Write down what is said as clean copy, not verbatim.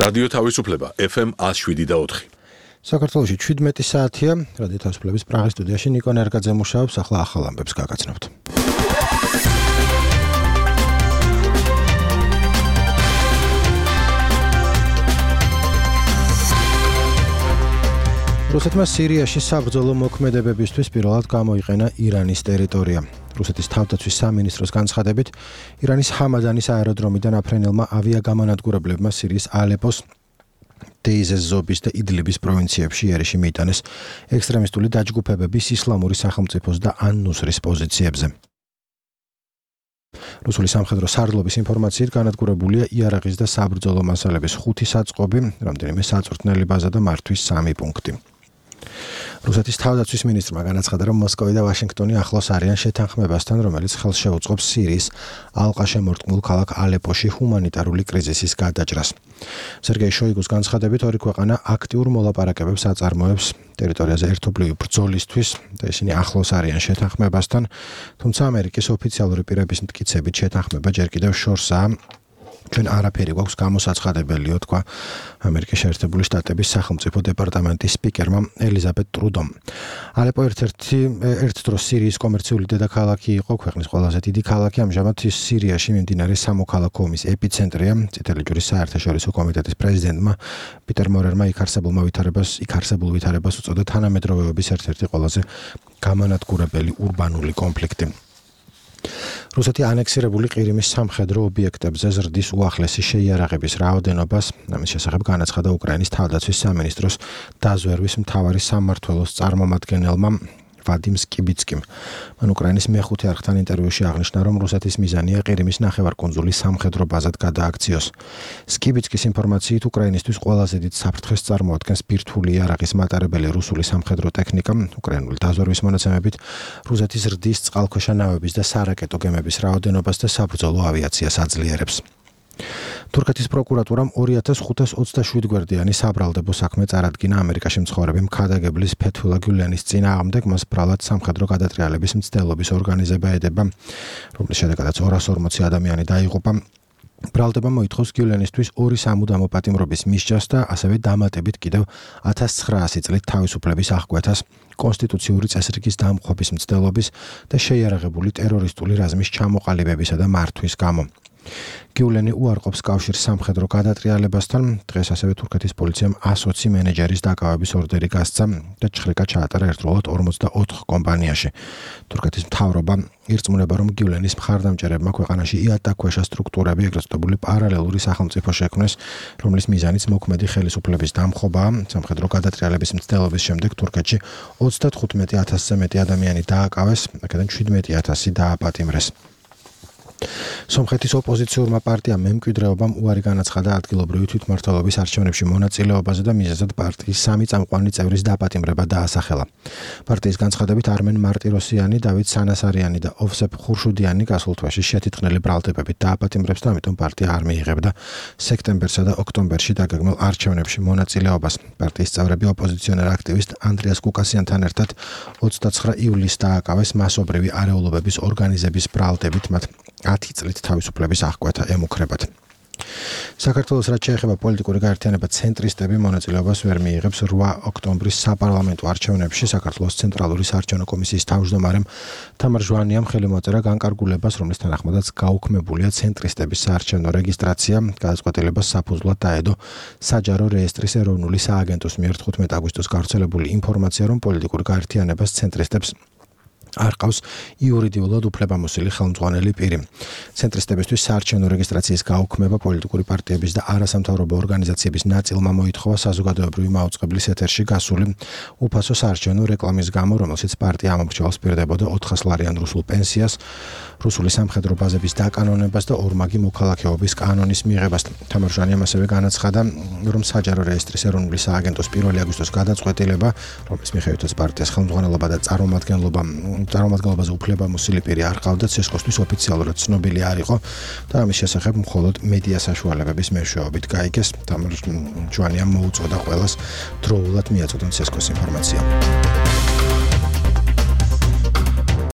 რადიო თავისუფლება FM 107.4. საქართველოში 17 საათია. რადიო თავისუფლების პრაღის სტუდიაში ნიკო ნერგაძე მუშაობს. ახლა ახალ ამბებს გაგაცნობთ. რუსეთმა სირიაში საბრძოლო მოქმედებებისთვის პირველად გამოიყენა ირანის ტერიტორია. რუსეთის თავდაცვის სამინისტროს განცხადებით, ირანის ჰამადანის აეროდრომიდან აფრენელმა ავიაგამანადგურებლებმა სირიის ალეპოს, დეიზეს ზობის და იდლიბის პროვინციებში იერიში მიიტანეს ექსტრემისტული დაჯგუფებების ისლამური სახელმწიფოს და ან-ნუსრის პოზიციებზე. რუსული სამხედრო სარდლობის ინფორმაციით განადგურებულია იარაღის და საბრძოლო მასალების 5 საწყობი, რამდენიმე საწვრთნელი ბაზა და მართვის 3 პუნქტი. რუსეთის თავდაცვის მინისტრმა განაცხადა, რომ მოსკოვი და ვაშინგტონი ახლოს არიან შეთანხმებასთან, რომელიც ხელს შეუწყობს სირიის ალყაშემორტყმულ ქალაქ ალეპოში ჰუმანიტარული კრიზისის გადაჭრას. სერგეი შოიგუს განცხადებით, ორი ქვეყანა აქტიურ მოლაპარაკებებს აწარმოებს ტერიტორიაზე ერთობლივი ბრძოლისთვის და ისინი ახლოს არიან შეთანხმებასთან, თუმცა ამერიკის ოფიციალური პირების მტკიცებით შეთანხმება ჯერ კიდევ შორსაა. ჩვენ არაფერი გვაქვს გამოსაცხადებელიო, თქვა ამერიკის შეერთებული შტატების სახელმწიფო დეპარტამენტის სპიკერმა ელიზაბეთ ტრუდომ. ალეპო ერთ დროს სირიის კომერციული დედაქალაქი იყო, ქვეყნის ყველაზე დიდი ქალაქი, ამჟამად ის სირიაში მიმდინარე სამოქალაქო ომის ეპიცენტრია. წითელი ჯვრის საერთაშორისო კომიტეტის პრეზიდენტმა პიტერ მორერმა იქ არსებულ ვითარებას უწოდა თანამედროვეობის ერთ-ერთი ყველაზე გამანადგურებელი ურბანული კონფლიქტი. რუსეთი ანექსირებული ყირიმის სამხედრო ობიექტებზე ზრდის უახლესი შეიარაღების რაოდენობას, ამის შესახებ განაცხადა უკრაინის თავდაცვის სამინისტროს დაზვერვის მთავარი სამმართველოს წარმომადგენელმა ვადიმ სკიბიცკიმ. მან უკრაინის მეხუთე არხთან ინტერვიუში აღნიშნა, რომ რუსეთის მიზანია ყირიმის ნახევარკუნძული სამხედრო ბაზად გადააქციოს. სკიბიცკის ინფორმაციით, უკრაინისთვის ყველაზე დიდ საფრთხეს წარმოადგენს ბირთვული იარაღის მატარებელი რუსული სამხედრო ტექნიკა. უკრაინული დაზვერვის მონაცემებით, რუსეთი ზრდის წყალქვეშა ნავების და სარაკეტო გემების რაოდენობას და საბრძოლო ავიაციას აძლიერებს. თურქეთის პროკურატურამ 2527 გვერდიანი საბრალდებო საქმე წარადგინა ამერიკაში მცხოვრები მქადაგებლის ფეთულა გულენის წინააღმდეგ, მას ბრალად სამხედრო გადატრიალების მცდელობის ორგანიზება ედება, რომლის შედეგადაც 240 ადამიანი დაიღუპა. ბრალდება მოითხოვს გულენისთვის 2 სამუდამო პატიმრობის მისჯას და ასევე დამატებით კიდევ 1900 წლით თავისუფლების აღკვეთას, კონსტიტუციური წესრიგის დამხობის მცდელობის და შეიარაღებული ტერორისტული რაზმის ჩამოყალიბებისა და მართვის გამო. გიულენი უარყოფს კავშირს სამხედრო გადატრიალებასთან. დღეს ასევე თურქეთის პოლიციამ 120 მენეჯერის დაკავების ორდერი გასცა და ჩხრიკა ჩაატარა ერთდროულად 44 კომპანიაში. თურქეთის მთავრობა ირწმუნება, რომ გიულენის მხარდამჭერებმა ქვეყანაში იატაკქვეშა სტრუქტურები, ეგრეთ წოდებული პარალელური სახელმწიფო შექმნეს, რომლის მიზანიც მოქმედი ხელისუფლების დამხობაა. სამხედრო გადატრიალების მცდელობის შემდეგ თურქეთში 35000-ზე მეტი ადამიანი დააკავეს, აქედან 17000 დააპატიმრეს. სომხეთის ოპოზიციურმა პარტიამ მემკვიდრეობამ უარი განაცხადა ადგილობრივი თვითმმართველობის არჩევნებში მონაწილეობაზე და მიზეზად პარტიის 3 წამყვანი წევრის დაპატიმრება დაასახელა. პარტიის განცხადებით, არმენ მარტიროსიანი, დავით სანასარიანი და ოვსეფ ხურშუდიანი გასულ თვეში შეთითხნელი ბრალდებებით დააპატიმრებს და ამიტომ პარტია არ მიიღებდა სექტემბერსა და ოქტომბერში დაგეგმილ არჩევნებში მონაწილეობას. პარტიის წევრები ოპოზიციონერ აქტივისტ ანდრიას კუკასიანთან ერთად 29 ივლისს დააკავეს მასობრივი არეულობების ორგანიზების ბრალდებით, მათ 10 წლით თავისუფლების აღკვეთა ემუქრებათ. საქართველოს რაც შეეხება პოლიტიკური გაერთიანება ცენტრისტები მონაწილეობას ვერ მიიღებს 8 ოქტომბრის საპარლამენტო არჩევნებში. საქართველოს ცენტრალური საარჩევნო კომისიის თავმჯდომარემ თამარ ჟვანიამ ხელი მოაწერა განკარგულებას, რომლის თანახმადაც გაუქმებულია ცენტრისტების საარჩევნო რეგისტრაცია. გადაწყვეტილებას საფუძვლად დაედო საჯარო რეესტრის ეროვნული სააგენტოს მიერ 15 აგვისტოს გავრცელებული ინფორმაცია, რომ პოლიტიკური გაერთიანებას ცენტრისტებს არ ყავს იურიდიულად უფლებამოსილი ხელმძღვანელი პირი. ცენტრისტებისთვის საარჩევნო რეგისტრაციის გაუქმება პოლიტიკური პარტიების და არასამთავრობო ორგანიზაციების ნაწილმა მოითხოვა საზოგადოებრივი მაუწყებლის ეთერში გასული უფასო საარჩევნო რეკლამის გამო, რომელშიც პარტია ამომრჩევალს პირდებოდა 400 ლარიან რუსულ პენსიას, რუსული სამხედრო ბაზების დაკანონებას და ორმაგი მოქალაქეობის კანონის მიღებას. თამარ ჟვანიამ ასევე განაცხადა, რომ საჯარო რეესტრის ეროვნული სააგენტოს 1 აგვისტოს გადაწყვეტილება, რომლის მიხედვითაც პარტიას ხელმძღვანელობა და წარმომადგენლობაზე უფლებამოსილი პირი არ ყავდა, ცესკოსთვის ოფიციალურად ცნობილი არ იყო და ამის შესახებ მხოლოდ მედია საშუალებების მეშვეობით გაიგეს. თამარ ჟვანიამ მოუწოდა ყველას დროულად მიაწოდონ ცესკოს ინფორმაცია.